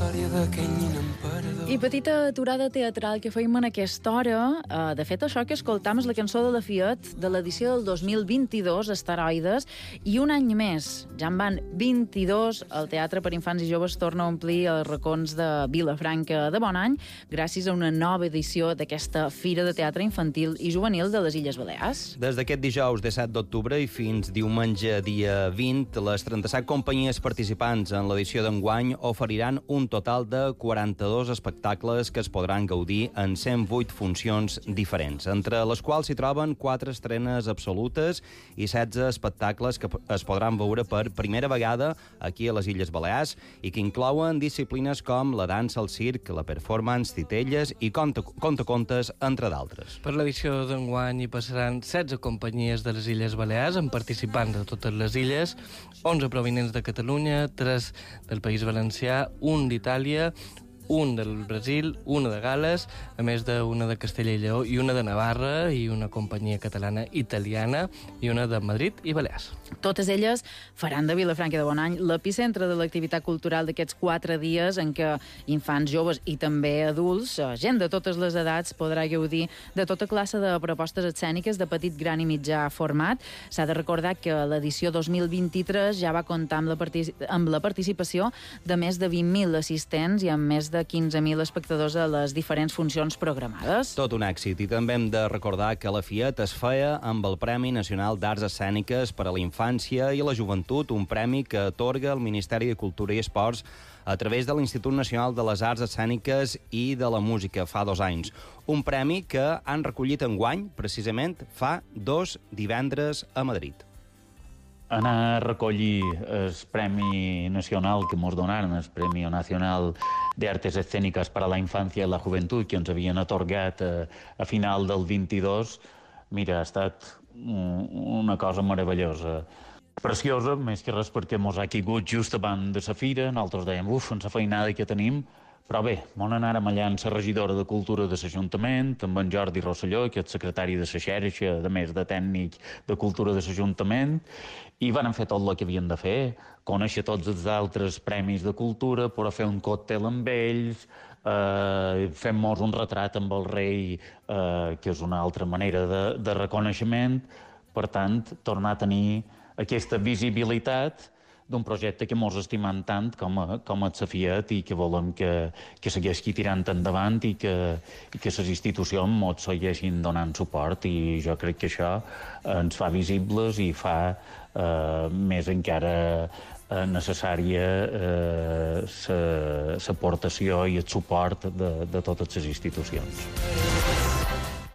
història d'aquell nin emperador. I petita aturada teatral que fèiem en aquesta hora. De fet, això que escoltam és la cançó de la Fiat de l'edició del 2022, Esteroides, i un any més, ja en van 22, el Teatre per Infants i Joves torna a omplir els racons de Vilafranca de Bonany, gràcies a una nova edició d'aquesta Fira de Teatre Infantil i Juvenil de les Illes Balears. Des d'aquest dijous 17 d'octubre i fins diumenge dia 20, les 37 companyies participants en l'edició d'enguany oferiran un total de 42 espectacles que es podran gaudir en 108 funcions diferents, entre les quals s'hi troben 4 estrenes absolutes i 16 espectacles que es podran veure per primera vegada aquí a les Illes Balears i que inclouen disciplines com la dansa, el circ, la performance, titelles i contacontes, entre d'altres. Per l'edició d'enguany hi passaran 16 companyies de les Illes Balears amb participants de totes les illes, 11 provinents de Catalunya, 3 del País Valencià, un d'Itàlia, un del Brasil, una de Gal·les, a més d'una de Castella i Lleó i una de Navarra i una companyia catalana italiana i una de Madrid i Balears. Totes elles faran de Vilafranca de Bonany l'epicentre de l'activitat cultural d'aquests 4 dies en què infants, joves i també adults, gent de totes les edats, podrà gaudir de tota classe de propostes escèniques de petit, gran i mitjà format. S'ha de recordar que l'edició 2023 ja va comptar amb la participació de més de 20.000 assistents i amb més de 15.000 espectadors a les diferents funcions programades. Tot un èxit, i també hem de recordar que la Fiat es feia amb el Premi Nacional d'Arts Escèniques per a la Infància i la Joventut, un premi que atorga el Ministeri de Cultura i Esports a través de l'Institut Nacional de les Arts Escèniques i de la Música fa 2 anys. Un premi que han recollit enguany, precisament, fa 2 divendres a Madrid. Anar a recollir el Premi Nacional que ens donaren, el Premi Nacional de Artes Escénicas para la Infancia y la Juventud, que ens havien atorgat a final del 22, mira, ha estat una cosa meravellosa. Preciosa, més que res perquè mos ha caigut just abans de la fira, nosaltres dèiem, en la feinada que tenim, però bé, vam anar allà amb la regidora de Cultura de l'Ajuntament, amb en Jordi Rosselló, que és secretari de la xarxa, a més de tècnic de Cultura de l'Ajuntament, i van fer tot el que havien de fer, conèixer tots els altres premis de cultura, poder fer un còctel amb ells, fem-nos un retrat amb el rei, que és una altra manera de reconeixement. Per tant, tornar a tenir aquesta visibilitat d'un projecte que mos estimem tant com el Fiat i que volem que segueixi tirant endavant i que les institucions mos segueixin donant suport, i jo crec que això ens fa visibles i fa més encara necessària l'aportació i el suport de totes les institucions.